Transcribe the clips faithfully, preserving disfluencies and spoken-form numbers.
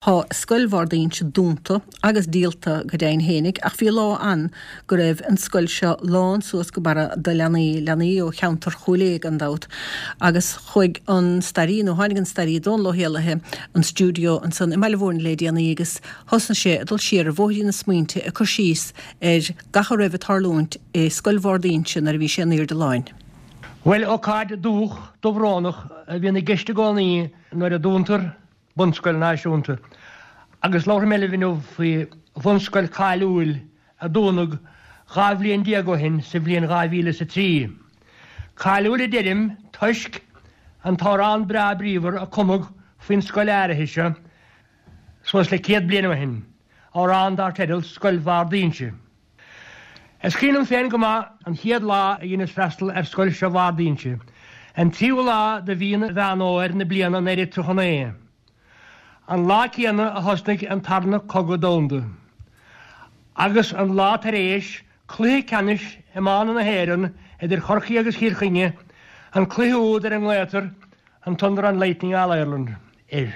Tá Scoil Bharr d'Inse dúnta agus díolta go deimhin fhéinig, ach bhí lá ann go raibh an scoil seo lán suas go barra de leanaí, leanaí ó cheantar Chúil Aodha gan dabht, agus chuaigh an staraí, nó tháinig an staraí Dónal Ó hÉallaithe an stiúideo ansan i mBaile Mhúirne le déanaí agus thosnaigh sé ag dul siar ar bhóithrín na smaointe ag cur síos ar gach a raibh ag tarlúint i Scoil Bharr d'Inse nuair a bhí sé in airde láin. Bhuel, ócáid dubhach dubhrónach a bhíonn i gceist i gcónaí nuair a dúntar bunscoil náisiúnta. Agus labharfaidh mé libh inniu faoi bhunscoil cáiliúil a dúnadh dhá bhliain déag ó shin sa bhliain dhá mhíle is a trí. Cáiliúil a deirim toisc an t-amhrán breá bríomhar a cumadh faoin scoil áirithe seo suas le céad bliain ó shin, amhrán dar teideal Scoil Bharr d'Inse. Is cuimhin liom féin go maith an chéad lá a dheineas freastal ar scoil seo Bharr d'Inse, an tríú lá de mhí Mheán Fhómhair na bliana naoi déag tríocha naoi. An lá céanna a thosnaigh an Tarna Cogadh Domhanda. Agus an lá tar éis cluiche ceannais iomána na hÉireann idir Chorcaigh agus Chill Chainnigh, an cluiche úd ar a nglaotar an Thunder and Lightning All-Ireland air.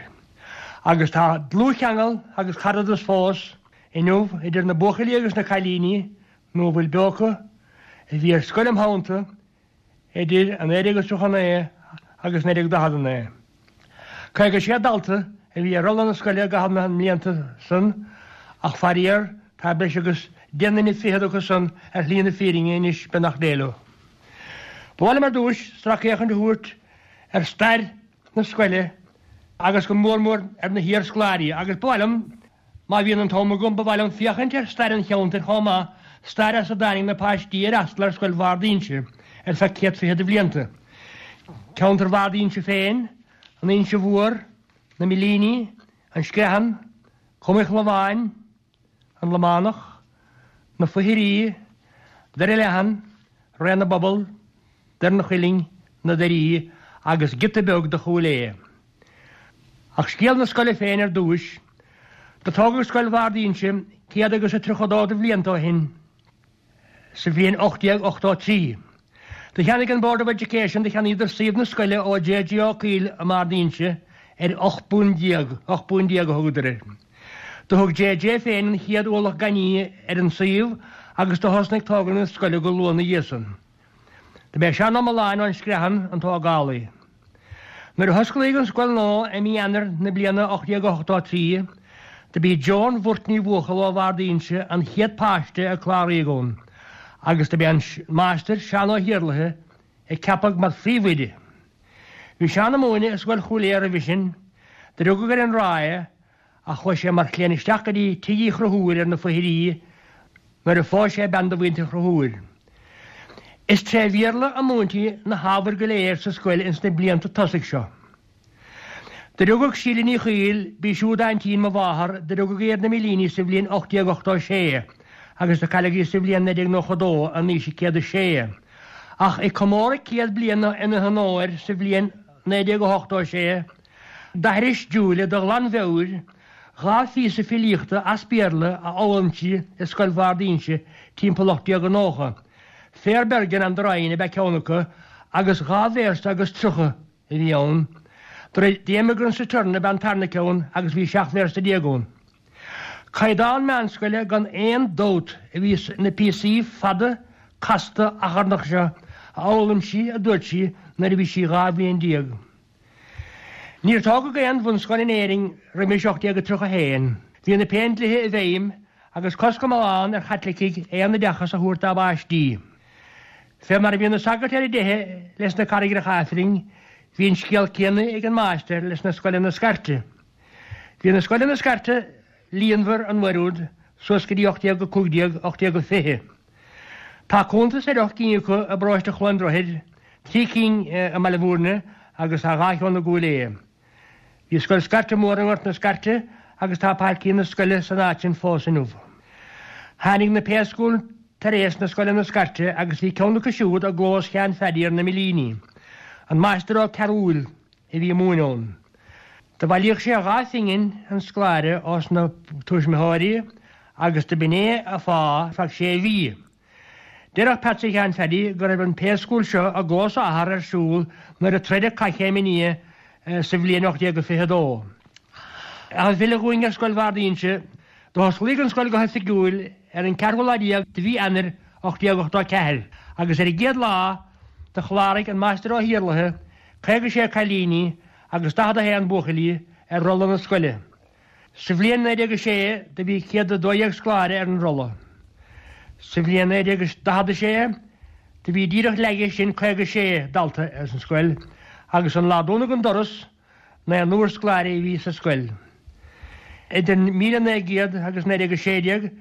Agus tá dlúthcheangal agus caradas fós inniu idir na buachaillí agus na cailíní, nó a bhfuil beo acu, a bhí ar scoil im theannta idir naoi déag is tríocha naoi agus naoi déag daichead a naoi. Caoga sé dalta a bhí ar rolla na scoile i gcaitheamh na mblianta san ach faraor tá breis agus deich nduine fichead acu san ar shlí na fírinne anois, beannacht Dé leo. Ba mhaith liom ar dtúis sracfhéachaint a thabhairt ar stair na scoile agus go mór mór ar na hiarscoláirí agus ba mhaith liom, má bhíonn an t-am agam, ba mhaith liom féachaint ar stair an cheantair chomh maith, stair as a dtáinig na páistí a d'fhreastail ar Scoil Bharr d'Inse ar feadh céad fiche de bhlianta. Ceantar Bharr d'Inse féin, an Inse Mhór, na Millíní, an Screathan, Com an Chlabháin, an Lománach, na Foichirí, Doire Leathan, Rae na bPobal, Doire an Chuilinn, na Doirí agus giota beag de Chúil Aodha. Ach scéal na scoile féin ar dtúis. Do tógadh Scoil Bharr d'Inse céad agus a tríocha dó de bhlianta ó shin. Sa bhliain ocht déag ochtó a trí, do cheannaigh an Board of Education, do cheannaíodar suíomh na scoile ó J J Ó Cuill i mBarr d'Inse ar ocht bpunt déag, ocht bpunt déag a thugadar air. Do thug J J féin an chéad ualach gainimh ar an suíomh agus do thosnaigh tógáil na scoile go luath ina dhiaidh san. Do b'é Seán Ó Mealláin ón Screathan an tógálaí. Nuair a hosclaíodh an scoil nua i mí Eanáir na bliana ocht déag ochtó a trí, do b'í Joan Mhurt Ní Bhuachalla ó Bharr d'Inse an chéad páiste a cláraíodh ann agus do b'é an Máistir Seán Ó hIarlaithe a ceapadh mar phríomhoide. Bhí Seán ag múineadh i Scoil Chúil Aodha roimhe sin, do rugadh ar an Ráth é ach chuaigh sé mar chliant isteach go dtí Tigh Uí Chonchúir ar na Foichirí nuair a phós sé bean de mhuintir Chonchúir. Is tré Bhéarla a múintí na hábhair go léir sa scoil ins na blianta tosaigh seo. Do rugadh Síle Ní Chuill, b'í siúd aintín mo mháthar, do rugadh í ar na Millíní sa bhliain ocht déag ochtó sé agus do cailleadh í sa bhliain naoi déag nócha dó in aois a céad a sé. Ach ag comóradh céad bliain ina honóir sa bhliain naoi déag ochtó sé, d'aithris Julia de ghlanmheabhair dhá phíosa filíochta as Béarla a d'fhoghlaim sí i Scoil Bharr d'Inse timpeall ocht déag nócha. Fair Bergen and the Rhine ab ea ceann acu agus dhá véarsa agus tríocha a bhí ann. The Emigrant's Return ab ea an tarna ceann agus bhí seacht véarsa déag ann. Caighdeán meánscoile gan aon dabht a bhí sna píosaí fada casta achrannach seo a d'fhoghlaim sí, a dúirt sí, nuair a bhí sí dhá bhliain déag. Níor tógadh aon bhunscoil in Éirinn roimis ocht déag tríocha a haon. Bhí na Péindlíthe i bhfeidhm agus cosc iomlán ar Chaitlicigh aon oideachas a thabhairt dá bpáistí. Fé mar a bhí na sagairt ar a dteitheadh leis na carraigreacha Aifrinn, bhí an scéal céanna ag an máistir leis na scoileanna scairte. Bhí na scoileanna scairte líonmhar an uair úd suas go dtí ocht déag a cúig déag, ocht déag a fiche. Tá cuntas ar ocht gcinn acu i bparóiste Chluain Droichid, trí cinn i mBaile Mhúirne agus tá dhá cheann i gCúil Aodha. Bhí scoil scairte mór i nGort na Scairte agus tá páircín na scoile san áit sin fós inniu. Tháinig na pay school tar éis na scoileanna scairte agus bhí ceann acu siúd i gclós Sheáin Phaddy ar na Millíní. An Máistir Ó Cearúil a bhí ag múineadh ann. Do bhailíodh sé dhá phingin an scoláire ós na tuismitheoirí agus do b'in é a phá feadh sé mhí. Déarfadh Peatsaí Sheáin Phaddy go raibh an pay school seo i gclós a athar ar siúl nuair a troideadh Cath Chéim an Fhia sa bhliain ocht déag fiche a dó. Ach ag filleadh dhúinn ar Scoil Bharr d'Inse, do hosclaíodh an scoil go hoifigiúil ar an ceathrú lá déag de mhí Eanáir ocht déag ochtó a ceathair agus ar an gcéad lá do chláraigh an Máistir Ó hIarlaithe caoga sé cailíní agus daichead a haon buachaillí ar rolla na scoile. Sa bhliain naoi déag a sé do bhí céad a dó dhéag scoláire ar an rolla. Sa bhliain naoi déag daichead a sé do bhí díreach leige sin caoga sé dalta ar an scoil agus an lá dúnadh an doras naonúr scoláirí a bhí sa scoil. Idir míle naoi gcéad agus naoi déag a sé déag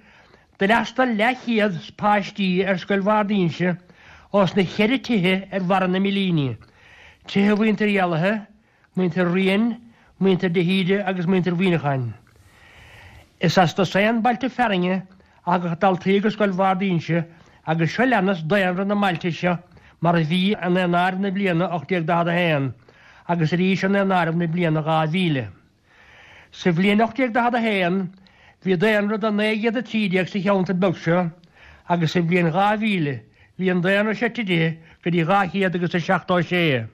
d'fhreastail leathchéad páistí ar Scoil Bharr d'Inse ós na ceithre tithe ar bharra na Millíní, tithe mhuintir Éalaithe, muintir Riain, muintir de hÍde agus muintir Mhuineacháin. Is as dosaen bailte fearainne a thagadh daltaí go Scoil Bharr d'Inse agus seo leanas daonra na mbailte seo mar a bhí i ndaonáireamh na bliana ocht déag daichead a haon agus arís i ndaonáireamh na bliana dhá mhíle. Sa bhliain ocht déag daichead a haon bhí daonra de naoi gcéad a trí déag sa cheantar beag seo agus sa bhliain dhá mhíle bhí an daonra seo titithe go dtí dhá chéad agus a seachtó sé.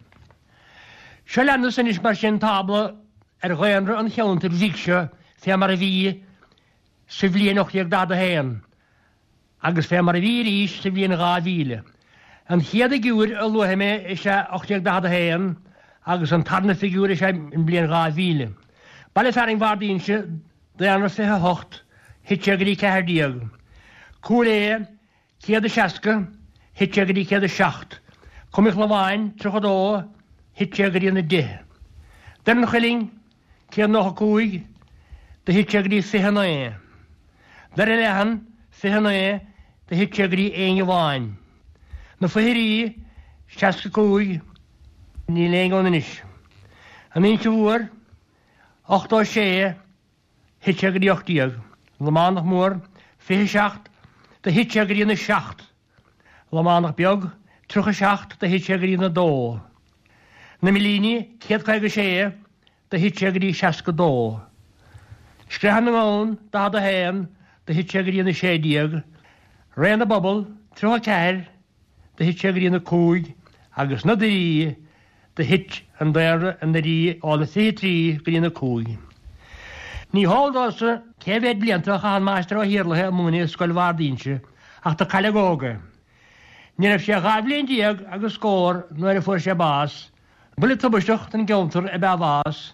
Seo leanas anois mar sin tábla ar dhaonra an cheantair bhig seo fé mar a bhí sa bhliain ocht déag daichead a haon agus fé mar a bhí arís sa bhliain dhá mhíle. An chéad fhigiúr a luafaidh mé is ea ocht déag daichead a haon agus an tarna figiúr is ea an bhliain dhá mhíle. Baile fearainn Bharr d'Inse, daonra fiche a hocht, thit sé go dtí ceathair déag. Cúil Aodha, céad is seasca, thit sé go dtí céad is seacht. Com an Chlabháin, tríocha a dó, thit sé go dtí na deich. Doire an Chuilinn, céad nócha cúig, do thit sé go dtí fiche a naoi. Doire Leathan, fiche a naoi, do thit sé go dtí éinne amháin. Na Foithirí, seasca cúig, níl éinne ann anois. An Inse Mhór, ochtó sé, thit sé go dtí ocht déag. Lománach Mór, fiche seacht, do thit sé go dtí na seacht. Lománach Beag, tríocha seacht, do thit sé go dtí na dó. Na Millíní, céad caoga sé, do thit sé go dtí seasca dó. Screatha na nGamhan, daichead a haon, do thit sé go dtí na sé déag. Réidh na bPobal, tríocha ceathair, do thit sé go dtí na cúig, agus na Doirí, do thit an daonra i nDoirí ó na fiche trí go dtí na cúig. Ní heol domhsa cé mhéad blianta a chaith an Máistir Ó hIarlaithe ag múineadh i Scoil Bharr d'Inse ach do cailleadh óg é. Ní raibh sé dhá bhliain déag agus scór nuair a fuair sé bás. Buille tubaisteach don gceantar ab ea a bhás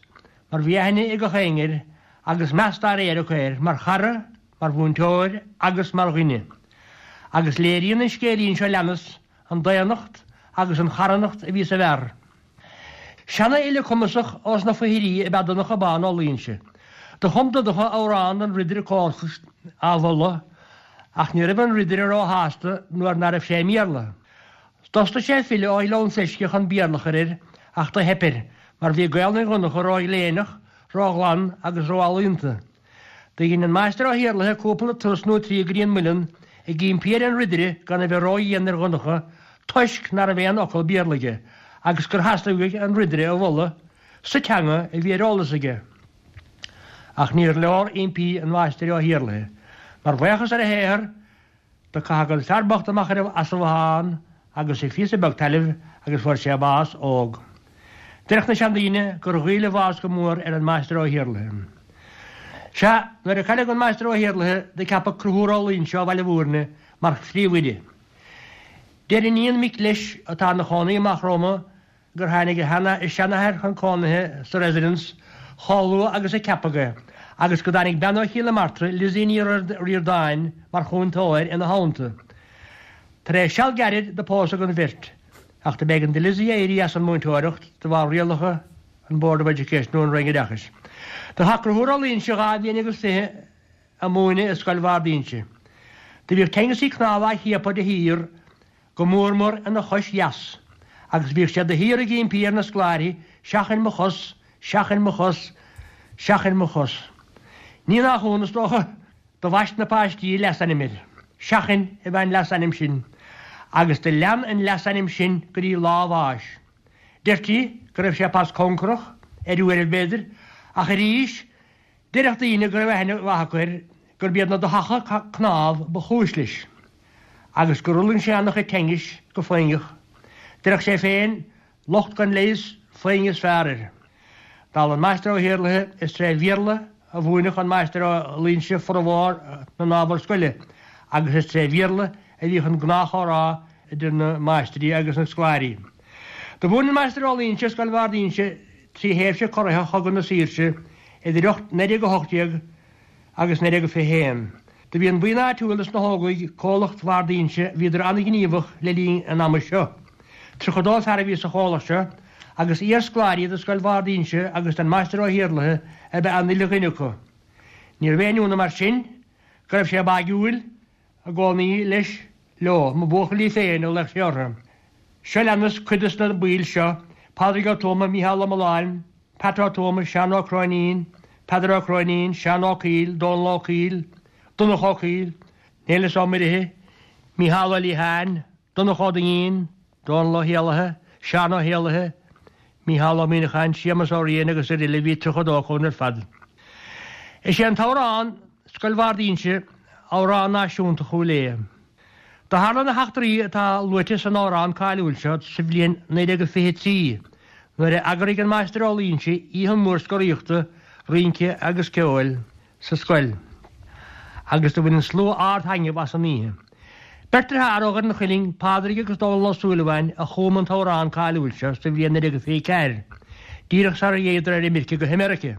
mar bhí aithne ag gach éinne air agus meas dá réir acu air mar chara, mar mhúinteoir agus mar dhuine. Agus léiríonn an scéilín seo leanas an daonnacht agus an charthanacht a bhí sa bhfear. Seanfhile cumasach ós na Foithirí ab ea Donncha Bán Ó Loingsigh. Do chum Donncha amhrán don Ridire Colfos á mholadh, ach ní raibh an Ridire róshásta nuair ná raibh sé i mBéarla. D'fhostaigh sé file ó Ghleann Seisce chun Béarla a chur air, ach do theip air, mar bhí Gaelainn Dhonncha róghléineach, róghlan agus róealaíonta. Do dhein an Máistir Ó hIarlaithe cúpla turas nó trí go dtí an muileann ag impí ar an Ridire gan a bheith ródhian ar Dhonncha toisc ná raibh aon fhocal Béarla aige agus gur theastaigh uaidh an Ridire a mholadh sa teanga a bhí ar eolas aige. Ach níor leor impí an Mháistir Ó hIarlaithe. Mar bhuíochas ar a shaothar, do caitheadh an fear bocht amach as an bhothán agus a phíosa beag tailimh agus fuair sé bás óg. Deireadh na seandaoine gur ghoill a bhás go mór ar an Máistir Ó hIarlaithe. Sea, nuair a cailleadh an Máistir Ó hIarlaithe do ceapadh Conchúr Ó Loingsigh ó Bhaile Mhúirne mar phríomhoide. Deir iníon mic leis atá ina chónaí amach rompu gur tháinig a seanathair chun cónaithe sa Residence chomh luath agus a ceapadh é agus go dtáinig bean ó Chill na Martra, Lizzie Ní Ríordáin, mar chúntóir ina theannta. Tar éis seal gairid do pósadh an bheirt, ach do b'éigean do Lizzie éirí as an múinteoireacht de bharr rialacha an Board of Education nó an Roinn Oideachais. Do chaith Conchúr Ó Loingsigh dhá bhliain agus fiche ag múineadh i Scoil Bharr d'Inse. Do bhíodh teangasaí cnámha á chiapadh de shíor go mór mór ina chois dheas, agus bhíodh sé de shíor ag impí ar na scoláirí, Seachain mo chos, seachain mo chos, seachain mo chos. Ní nach ionadh, is dócha, do bhaist na páistí leasainm air. Seachain ab ea an leasainm sin, agus do lean an leasainm sin go dtí lá a bháis. Deirtí go raibh sé pas cóngarach, ar uairibh b'fhéidir, ach arís, deireadh daoine go raibh aithne mhaith acu air gurb iad na duthacha cnámh ba chúis leis. agus gur fhulaing sé an-chuid tinnis go foighneach. Deireadh sé féin, Locht gan leigheas, foighne is fearr air. Dála an Máistir Ó hIarlaithe, is tré Bhéarla a mhúineadh an Máistir Ó Loingsigh formhór na n-ábhar scoile agus is tré Bhéarla a bhíodh an gnáthchomhrá idir na máistrí agus na scoláirí. Do mhúin an Máistir Ó Loingsigh i Scoil Bharr d'Inse trí thréimhse corraitheach Chogadh na Saoirse idir naoi déag a hocht déag agus naoi déag fiche haon. Do bhí an buíon áitiúil dos na hÓglaigh, Comhlacht Bharr d'Inse, bhíodar an-ghníomhach le linn an ama seo. Tríocha dó fear a bhí sa chomhlacht seo agus iarscoláirí de Scoil Bharr d'Inse agus den Máistir Ó hIarlaithe ab ea an uile dhuine acu. Níorbh aon ionadh mar sin go raibh sé báigiúil i gcónaí leis, leo, mo bhuachaillí féin a ghlaodh sé orthu. Seo leanas cuid dos na baill seo, Pádraig Ó Tuama, Mícheál Ó Mealláin, Pat Ó Tuama, Seán Ó Cróinín, Peadar Ó Cróinín, Seán Ó Cuill, Dónal Ó Cuill, Donncha Ó Cuill, Néileas Ó Muirithe, Mícheál Ó Liatháin, Donncha Ó Duinnín, Dónal Ó hÉallaithe, Seán Ó hÉallaithe, Mícheál Ó Muíneacháin, Séamus Ó Riain agus araile Bhí tríocha dó acu ar fad. Is é an t-amhrán Scoil Bharr d'Inse amhrán náisiúnta Chúil Aodha. Do tharla na heachtraí atá luaite san amhrán cáiliúil seo sa bhliain naoi déag fiche trí nuair a eagraigh an Máistir Ó Loingsigh oíche mhór scoraíochta, rince agus ceoil sa scoil agus do bhain an slua ard-thaitneamh as an oíche. Beirt dearthár ó Dhoire an Chuilinn, Pádraig agus Dónal Ó Súilleabháin, a chum an t-amhrán cáiliúil seo sa bhliain naoi déag fiche ceathair, díreach sara dtéadar ar imirce go hAmeirice.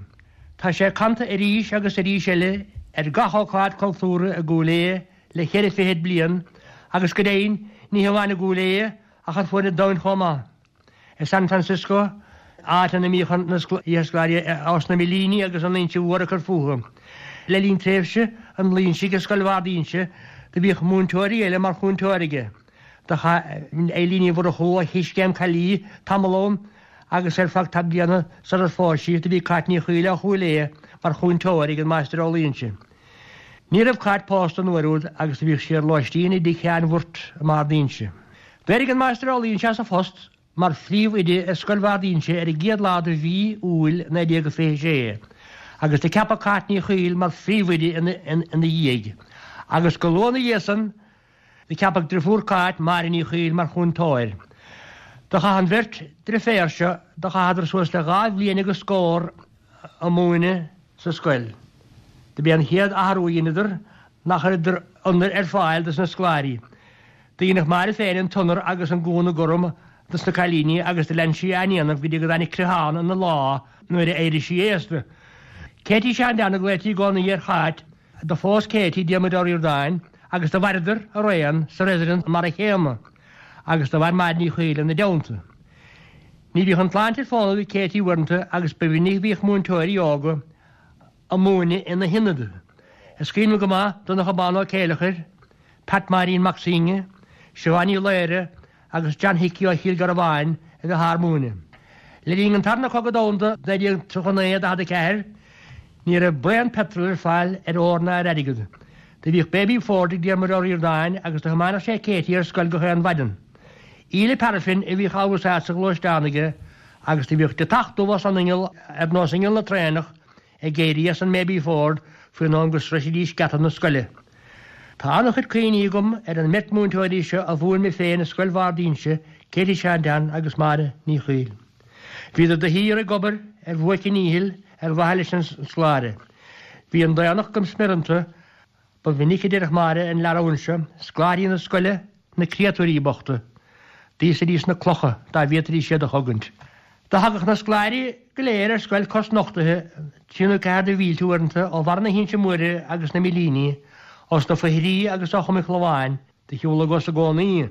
Tá sé canta arís agus arís eile ar gach ócáid cultúrtha i gCúil Aodha le ceithre fichid bliain agus go deimhin ní hamháin i gCúil Aodha ach ar fuaid an domhain chomh maith. I San Francisco, áit ina mbíodh na iarscoláirí ós na Millíní agus an Inse Mhór ag cur fúthu. Le linn tréimhse an Loingsigh i Scoil Bharr d'Inse do bhíodh múinteoirí eile mar chúntóir aige. Do chaith Eilín Ní Mhurchú ó Choiscéim Caillí tamall ann agus ar feadh tá bliana sular phós sí do bhí Cáit Ní Chaoil ó Chúil Aodha mar chúntóir ag an Máistir Ó Loingsigh. Ní raibh Cáit pósta an uair úd agus do bhíodh sí ar lóistín i dtigh Sheáin Bhurt i mBarr d'Inse. D'éirigh an Máistir Ó Loingsigh as a phost mar phríomhoide i Scoil Bharr d'Inse ar an gcéad lá de mhí Iúil naoi déag fiche sé, agus do ceapadh Cáit Ní Chaoil mar phríomhoide ina dhiaidh, agus go luath ina dhiaidh san do ceapadh driofúr Cáit, Máire Ní Chaoil, mar chúntóir. Do chaith an bheirt driféar seo, do chaitheadar suas le dhá bhliain agus scór a' múineadh sa scoil. Do b'é an chéad athrú a dheineadar ná chuireadar ionair ar fáil dos na scoláirí. Do dheineadh Máire féin an t-ionar agus an gúna gorm dos na cailíní agus do lean sí á ndéanamh go dtí go dtáinig creathán ina lámh nuair a éirigh sí aosta. Katie Sheáin Dan a glaoití i gcónaí ar Cháit, do phós Katie Diarmuid Ó Ríordáin agus do mhaireadar araon sa residence mar a chéanna agus do mhair Máire Ní Chaoil ina dteannta. Ní bhíodh an tsláinte ag fónamh do Katie uaireanta agus ba mhinic a bhíodh múinteoirí óga a' múineadh ina hionad. Is cuimhin liom go maith Donncha Bán Ó Céileachair, Pat Máirín Mac Suibhne, Siobhán Ní Laoire agus John Hickey ó Chill Garbháin a bheith ár múineadh. Le linn an Tarna Cogadh Domhanda naoi déag tríocha naoi daichead a ceathair, ní raibh braon peitril ar fáil ar ór ná ar airgead. Do bhíodh Baby Ford ag Diarmuid Ó Ríordáin agus do thiomáineadh sé Katie ar scoil gach aon mhaidin. Íle paraifin a bhíodh á úsáid sa ghluaisteán aige agus do bhíodh deatach dubh as an inneall ar nós inneall na traenach ag éirí as an mBaby Ford faoin am go sroichfidís geata na scoile. Tá an-chuid cuimhní agam ar an mbeirt múinteoirí seo a mhúin mé féin i Scoil Bharr d'Inse, Katie Sheáin Dan agus Máire Ní Chaoil. Bhíodar de shíor ag obair ar bhuaic a ndíchill ar mhaithe leis an scoláire. Bhí an daonnacht go smior iontu, ba mhinic a deireadh Máire an leathrann seo, scoláirí na scoile, na créatúirí bochta. D'íosfaidís na clocha dá bhféadfaidís iad a chogaint. Do thagadh na scoláirí go léir ar scoil cosnochtaithe, trí nó ceathair de mhílte uaireanta ó bharr na hInse Móire agus na Millíní, ós na Foithrí agus ó Chom an Chlabháin, de shiúl a gcos i gcónaí.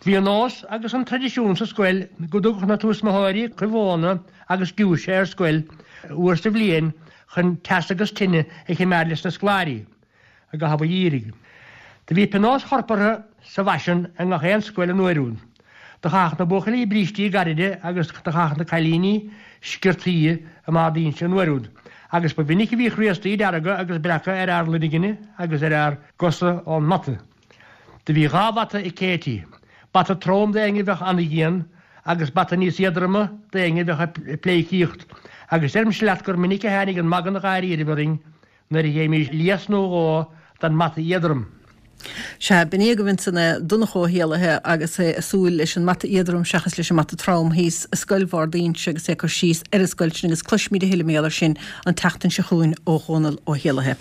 Bhí an nós agus an traidisiún sa scoil go dtugadh na tuismitheoirí cruimh mhóna agus giúise ar scoil uair sa bhliain chun teas agus tine a choimeád leis na scoláirí i gcaitheamh an gheimhridh. Do bhí pionóis chorpartha sa bhfaisean i ngach aon scoil an uair úd. Do chaitheadh na buachaillí brístí gairide agus do chaitheadh na cailíní sciortaí i mBarr d'Inse an uair úd, agus ba mhinic a bhíodh riastaí dearga agus breaca ar ár loirgne agus ar ár gcosa ón mbata. Do bhí dhá bhata ag Katie, bata trom d'éinne a bheadh an-dhian agus bata níos éadroime d'éinne a bheadh ag pleidhcíocht, agus deirimse leat gur minic a tháinig an magadh na dháiríribh orainn nuair a gheibhimís lios nó dhó den mbata éadrom. Sea, b'in agaibh ansan é Donncha Ó hÉallaithe agus é ag súil leis an mbata éadrom seachas leis an mbata trom thíos i Scoil Bhard Fhínse agus é ag cur síos ar an scoil sin agus cloisfimid a thuilleadh mar gheall air sin an tseachtain seo chugainn ó Dhónal Ó hÉallaithe.